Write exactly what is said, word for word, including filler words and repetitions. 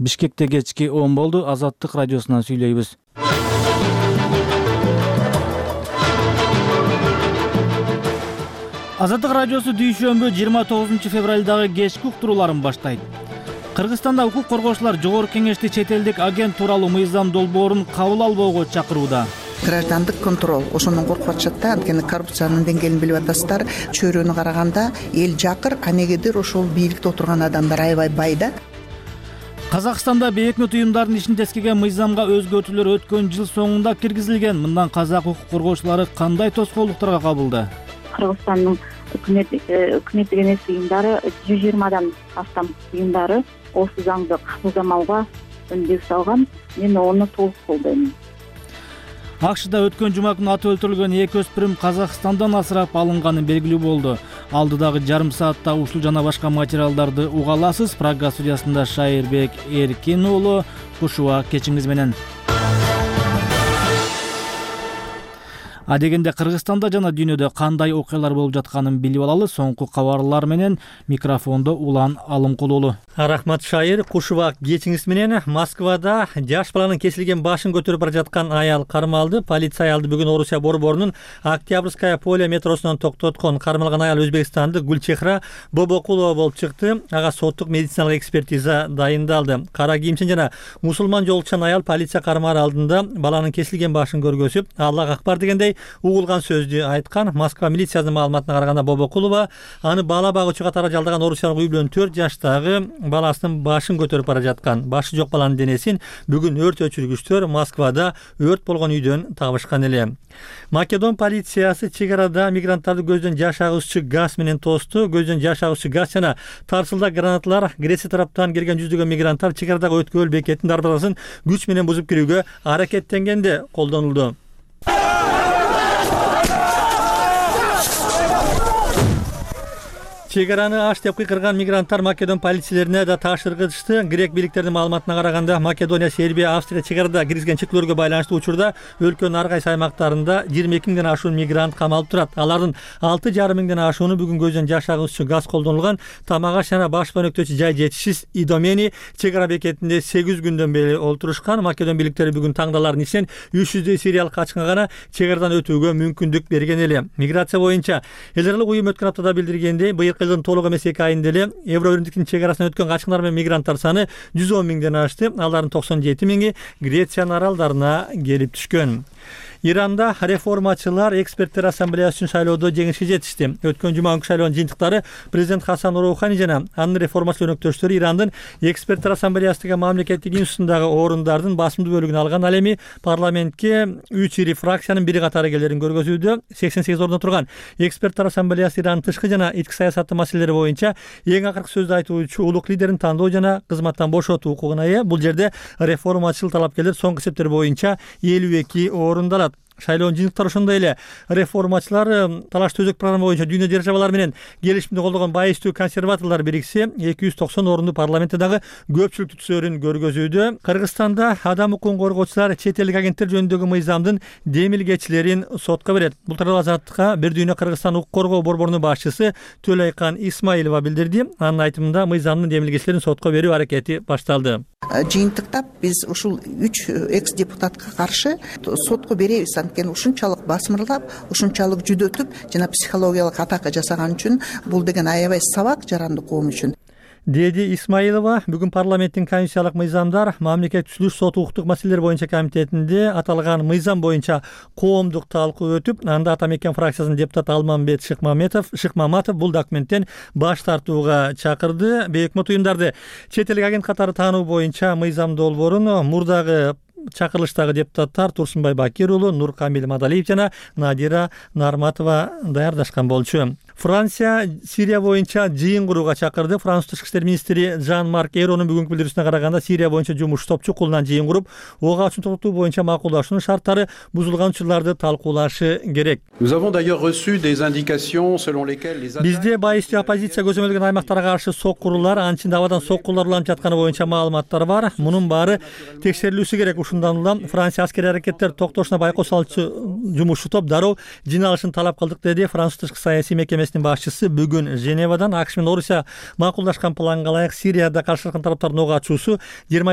Бишкекте кечки он болду. Азаттык радиосунан сүйлөйбүз. Азаттык радиосу дүйшөмбү жыйырма тогузунчу февралдагы кечки уктурууларын баштайт. Кыргызстанда укук коргоочулар Жогорку Кеңешти чет элдик агент тууралуу мыйзам долбоорун кабыл албоого чакырууда. Граждандык контроль ошондон коркуп атышат да, анткени коррупциянын деңгээлин билип атасыздар. Чөйрөнү караганда эл жакыр, а негедир ошол бийликте отурган адамдар аябай бай да. Казакстанда бейөкмөт уюмдардын ишин тескеген мыйзамга өзгөртүүлөр өткөн жыл соңунда киргизилген. Мындан казак укук коргоочулары кандай тоскоолдуктарга кабылды? Кыргызстандын өкмөт өкмөттүк эмес уюмдары жүз жыйырмадан астам уюмдары осы заңды кабыл алууга үндөө салган. Мен аны толук колдойм. АКШда өткөн жума күнү аты өлтүрүлгөн эки өспүрүм Казакстандан асырап алынганы белгилүү болду. Алдыдагы жарым саатта ушул жана башка материалдарды уга аласыз. Прага студиясында Шайырбек Эркин уулу Кушуба кечиңиз менен. Адегенде Кыргызстанда жана дүйнөдө кандай окуялар болуп жатканын билип алалы. Соңку кабарлар менен микрофондо Улан Алымкулуулу. Рахмат Шайыр, Кушуба кечиңиз менен. Москвада жаш баланын кесилген башын көтөрүп бара жаткан аял кармалды. Полиция аялды бүгүн Орусия борборунун Октябрьская поле метросунан токтоткон. Кармалган аял Өзбекстандык Гүлчехра Бобокулова болуп чыкты. Ага соттук медициналык экспертиза дайындалды. Кара кийимчен жана мусулман жолчан аял полиция кармаар алдында баланын кесилген башын көргөзүп, Аллах акбар дегендей угулган сөздү айткан. Москва милициясынын маалыматына караганда Бобокулова аны бала багуучу катары жалдаган орусиялык үй бүлөнүн төрт жаштагы баласынын башын көтөрүп бара жаткан. Башы жок баланын денесин бүгүн өрт өчүргүчтөр Москвада өрт болгон үйдөн табышкан эле. Македон полициясы чек арада мигранттарды көздөн жаш агуучу газ менен тосту. Көздөн жаш агуучу газ жана тарсылдак гранаталар Греция тараптан келген жүздөгөн мигранттар чек арадагы өткөл бекетинин дарбазасын күч менен бузуп кирүүгө аракеттенгенде колдонулду. Чек араны аш деп кыйкырган мигранттар Македон полицияларына да таш ыргытышты. Грек бийликтеринин маалыматына караганда Македония, Сербия, Австрия чек арада киргизген чектөөлөргө байланыштуу учурда өлкөнүн ар кайсы аймактарында жыйырма эки миңден ашуун мигрант камалып турат. Алардын алты жарым миңден ашууну бүгүн көздөн жаш агуучу газ колдонулган Тамагаш жана баш өнөктөчү жай жетишсиз Идомени чек ара бекетинде сегиз күндөн бери олтурушкан. Македон бийликтери бүгүн таңдалардын ичинен үч жүздөй сириялык качкынга гана чек арадан өтүүгө мүмкүндүк берген эле. Миграция боюнча эл аралык уюм өткөн аптада билдиргендей, быйыл жылдын толук эмес эки айында эле Евро биримдиктин чек арасынан өткөн качкындар менен мигранттар саны жүз он миңден ашты. Алардын токсон жети миңи Грециянын аралдарына келип түшкөн. Иранда реформачылар эксперттер ассамблеясы үчүн шайлоодо жеңишке жетишти. Өткөн жума күнкү шайлоонун жыйынтыктары президент Хасан Роухани жана анын реформачыл өнөктөштөрү Ирандын эксперттер ассамблеясындагы мамлекеттик институттундагы орундардын басымдуу бөлүгүн алган. Ал эми парламентке үч ири фракциянын бири катары келерин көргөзүүдө. сексен сегиз орунда турган эксперттер ассамблеясы Ирандын тышкы жана ички саясаты маселелери боюнча эң акыркы сөздү айтуучу улук лидерин тандоо жана кызматтан бошотуу укугуна ээ. Бул жерде реформачыл талапкерлер соңку эсептер боюнча элүү эки орунда алат. Шайлоонун жыйынтыктары ошондой эле. Реформачылар талаш төзөк программа боюнча дүйнө державалары менен келишимди колдогон байыстуу консерваторлор бириксе эки жүз токсон орунду парламентте дагы көпчүлүктү түзөөрүн көргөзүүдө. Кыргызстанда адам укугун коргоочулар чет элдик агенттер жөнүндөгү мыйзамдын демилгечилерин сотко берет. Бул тууралуу Азаттыкка Бир дүйнө Кыргызстан укук коргоо борборунун башчысы Төлөйкан Исмаилова билдирди. Анын айтымында мыйзамдын демилгечилерин сотко берүү аракети башталды. Жыйынтыкта биз ушул үч экс депутатка каршы сотко беребиз. Анткени ушунчалык басмырлап, ушунчалык жүдөтүп жана психологиялык атака жасаган үчүн бул деген аябай сабак жаранды коом үчүн. Деди Исмаилова бүгүн парламенттин комиссиялык мыйзамдар мамлекет түзүлүш сот укуктук маселелер боюнча комитетинде аталган мыйзам боюнча коомдук талкуу өтүп, анда Ата мекен фракциясынын депутаты Алмамбет Шыкмаматов Шыкмаматов бул документтен баш тартууга чакырды. Бейөкмөт уюмдарды чет элдик агент катары таануу боюнча мыйзам долбоорун мурдагы чакырылыштагы депутаттар Турсунбай Бакир уулу, Нуркамил Мадалиев жана Надира Нарматова даярдашкан болчу. Франция Сирия боюнча жыйын курууга чакырды. Франц тышкы иштер министри Жан-Марк Эйронун бүгүнкү билдирүүсүнө караганда Сирия боюнча жумуш топчу кулунан жыйын куруп, ого ачуун токтотуу боюнча макулдашуунун шарттары бузулган учурларды талкуулашы керек. Бизде байыстуу оппозиция көзөмөлдөгөн аймактарга каршы соккурулар, анчында абадан соккулар уланып жатканы боюнча маалыматтар бар. Мунун баары текшерилүүсү керек. Ушундан улам Франция аскери аракеттер токтошуна байкоо салчу жумушчу топ дароо жиналышын талап кылдык, деди Франц тышкы саясий мекемесинин кеңешинин башчысы бүгүн Женевадан АКШ менен Орусия макулдашкан планга ылайык Сирияда каршы турган тараптардын ок ачуусу жыйырма